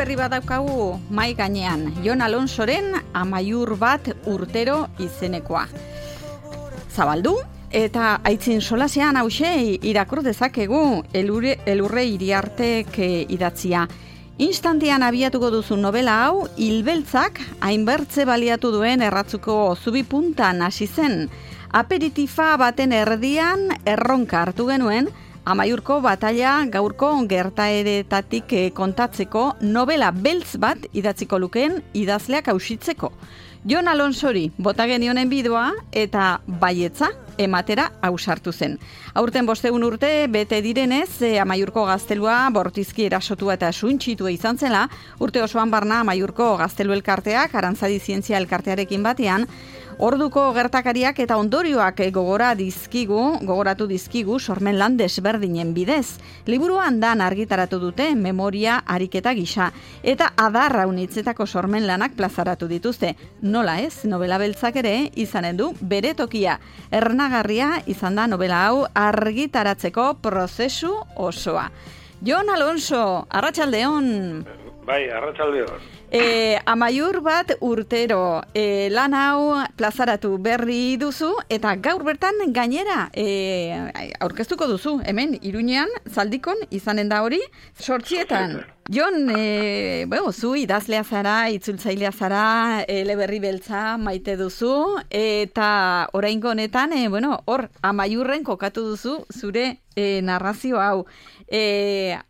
berri bat daukagu mai gainean, Jon Alonsoren Amaiur bat urtero izenekoa. Zabaldu eta aitzin solasean hause irakur dezakegu Elurre Iriartek idatzia. Instantean abiatuko duzu novela hau, hilbeltzak hainbertze baliatu duen erratzuko zubi puntan hasi zen. Aperitifa baten erdian erronka hartu genuen, Amaiurko bataila gaurko gertaeretatik kontatzeko novela beltz bat idatziko lukeen idazleak ausitzeko. Jon Alonsori bota genionen bidoa eta baietza ematera ausartu zen. Aurten 500 urte bete direnez, Amaiurko gaztelua bortizki erasotua eta suintxitua izan zela, urte osoan barna Amaiurko gaztelu elkarteak, Arantzadi Zientzia elkartearekin batean, orduko gertakariak eta ondorioak gogoratu dizkigu sormen lan desberdinen bidez. Liburuan dan argitaratu dute memoria ariketa gisa eta adarra unitzetako sormen lanak plazaratu dituzte. Nola ez, novela beltzak ere izanen du bere tokia. Ernagarria izan da novela hau argitaratzeko prozesu osoa. Jon Alonso, arratsaldeon. Bai, arratsaldeon. Amaiur bat urtero lan hau plazaratu berri duzu eta gaur bertan gainera aurkeztuko duzu, hemen Iruñean Zaldikon izanen da hori 8etan. Jon, zu idazlea zara, itzultzailea zara, eleberri beltza maite duzu eta oraingo honetan hor Amaiurren kokatu duzu zure narrazio hau.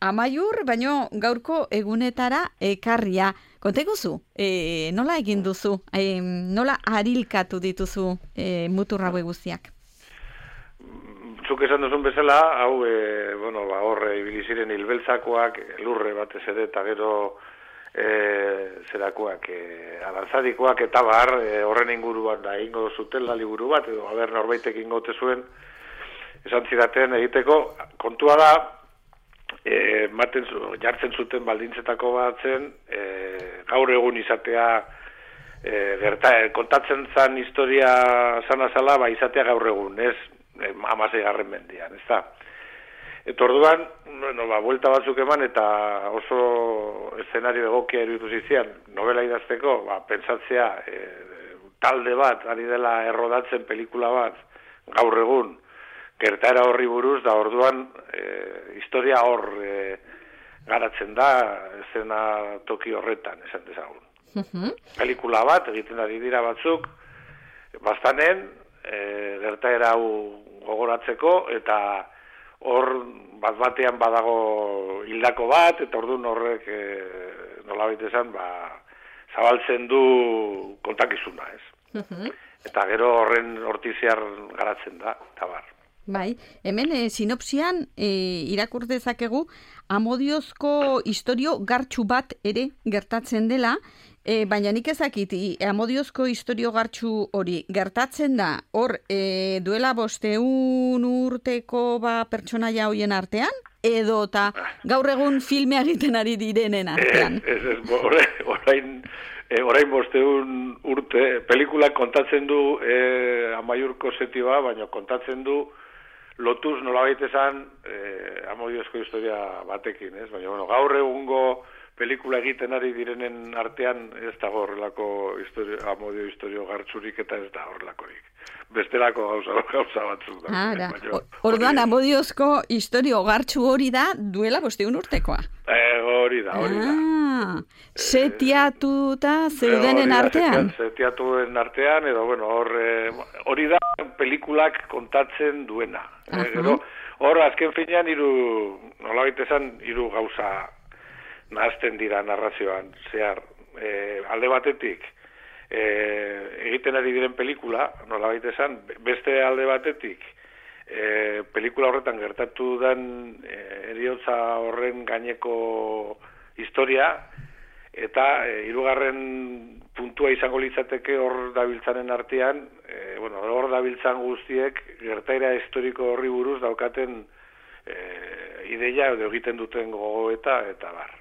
Amaiur, baino gaurko egunetara ekarria. Konteguzu, nola egin duzu, nola harilkatu dituzu mutur haue guztiak? Zuk esan duzun bezala, hau, hor ibili ziren hilbeltzakoak, lurre batez ere, eta gero zerakoak, arantzadikoak eta bar, horren inguruan da ingo zutela liburu bat, edo haber norbaitek ingote zuen, esan zidaten egiteko, kontua da, jartzen zuten baldintzetako bat zen, gaur egun izatea kontatzen zan historia zana-zala, izatea gaur egun, ez 16. mendian, ez da. Eta orduan, buelta batzuk eman eta oso eszenario egokia iruditu zizian, novela idazteko, pentsatzea talde bat, ari dela errodatzen pelikula bat, gaur egun, gertaera horri buruz, da orduan historia hor garatzen da, esena toki horretan, esan dezagun. Pelikula bat, egiten ari dira batzuk, bastanen, gertaera hau gogoratzeko, eta hor bat-batean badago hildako bat, eta orduan horrek nolabait esan, zabaltzen du kontakizuna, ez? Eta gero horren hortiziar garatzen da, eta bar. Bai, hemen sinopsian irakur dezakegu Amodiozko istorio gartxu bat ere gertatzen dela, baina nik ezakit, Amodiozko istorio gartxu hori gertatzen da, hor duela 500 urteko pertsonaia hoien artean, edo eta gaur egun filmea egiten ari direnen artean. Orain 500 urte, pelikulak kontatzen du Amaiurko setioa, baina kontatzen du lotuz nolabait esan Amodiozko historia batekin, ez? Baina, gaur egungo pelikula egiten ari direnen artean ez da horrelako Amodio historio gartzurik eta ez da horrelakorik. Bestelako gauza batzuk da. Orduan, Amodiozko historio gartzu hori da duela 500 urtekoa. Hori da. Setiatuta zeudenen artean? Setiatuen artean, edo, hori da pelikulak kontatzen duena. Hor, azken finean, nolabait esan, hiru gauza nahazten dira narrazioan, zehar, alde batetik, egiten ari diren pelikula, nolabait esan, beste alde batetik, pelikula horretan gertatu den heriotza horren gaineko historia, eta hirugarren puntua izango litzateke hor dabiltzanen artean, hor dabiltzan guztiek gertaera historiko horri buruz daukaten ideia edo egiten duten gogoeta eta bar.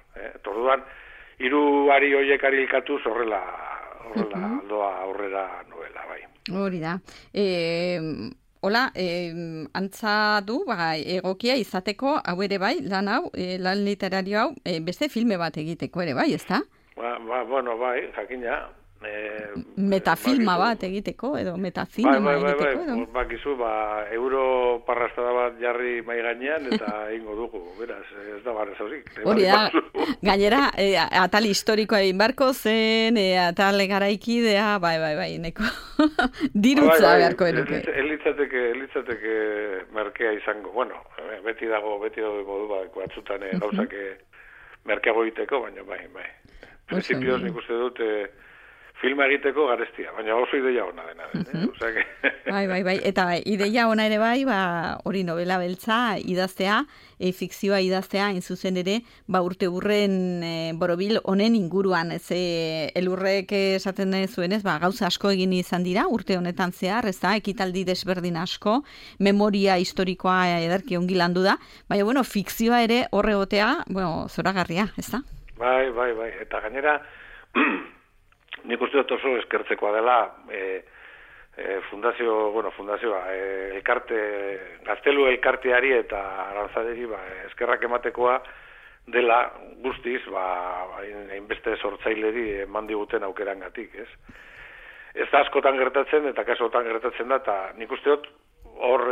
Orduan, hiru ari horiek arilkatuz horrela doa aurrera novela, bai. Hori da. hola, antza du, egokia izateko, hau ere bai, lan literario hau, beste filme bat egiteko ere bai, ezta? Bueno, bai, jakina. Metafilma bat egiteko, edo metazinema egiteko, edo? Bakizu, euro parrastada bat jarri mai gainean, eta ingo dugu, beraz, ez da barra zauzik. Hori da, gainera, atal historikoa egin barko zen, atal garaikidea, bai, neko dirutza beharko enuke. Elitzateke merkea izango, bueno, beti dago modu batzutan gauzak merkeago egiteko, baina bai. Principioz nik uste dut filma egiteko garestia, baina oso ideia ona dena. Bai, eta ideia ona ere bai, hori novela beltza idaztea, fikzioa idaztea, zuzen ere, urte burren borobil honen inguruan, elurrek esaten zuenez, gauza asko egin izan dira, urte honetan zehar, ez da, ekitaldi desberdin asko, memoria historikoa ederki ongi landu da, baina, bueno, fikzioa ere horregotea, zoragarria, ez da? Bai, eta gainera, nik uste dut oso eskertzekoa dela fundazioa, Gaztelu elkarteari eta arantzaderi eskerrak ematekoa dela guztiz, hainbeste sortzaileri eman diguten aukerangatik, ez? Ez da askotan gertatzen eta kasotan gertatzen da, eta nik uste dut hor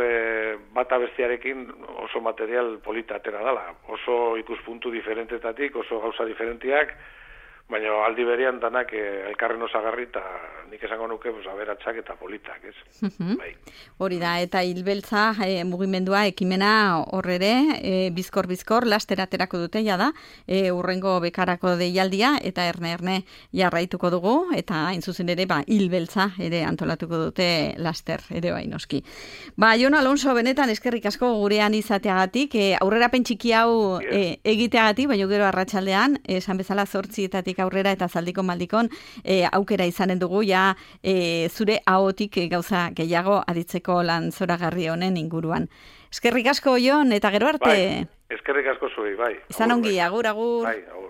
bata bestearekin oso material polita atera dela, oso ikuspuntu diferentetatik, oso gauza diferentiak, baina aldi berean danak elkarren osagarri eta nik esango nuke aberatsak eta politak, ez? Bai. Hori da, eta hilbeltza mugimendua ekimena horrere, bizkor, lasteraterako dute da, urrengo bekarako deialdia, eta erne jarraituko dugu, eta hain zuzen ere, hilbeltza ere antolatuko dute laster, ere bai noski. Jon Alonso, benetan eskerrik asko gurean izateagatik, aurrerapen txiki hau egiteagatik, baina gero arratsaldean, esan bezala 8 aurrera eta zaldiko maldikon aukera izanen dugu zure ahotik gauza gehiago aditzeko lan zoragarri honen inguruan. Eskerrik asko, Jon, eta gero arte. Eskerrik asko zuei, bai. Izan ongi, agur. Bai, agur.